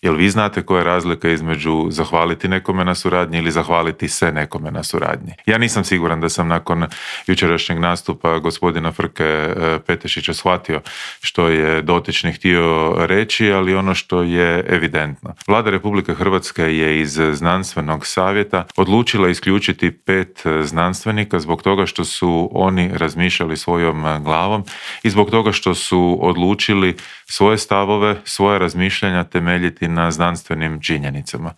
Jel vi znate koja je razlika između zahvaliti nekome na suradnji ili zahvaliti se nekome na suradnji? Ja nisam siguran da sam nakon jučerašnjeg nastupa gospodina Frke Petešića shvatio što je dotični htio reći, ali ono što je evidentno. Vlada Republike Hrvatske je iz znanstvenog savjeta odlučila isključiti 5 znanstvenika zbog toga što su oni razmišljali svojom glavom i zbog toga što su odlučili svoje stavove, svoja razmišljanja temeljiti na znanstvenim činjenicama.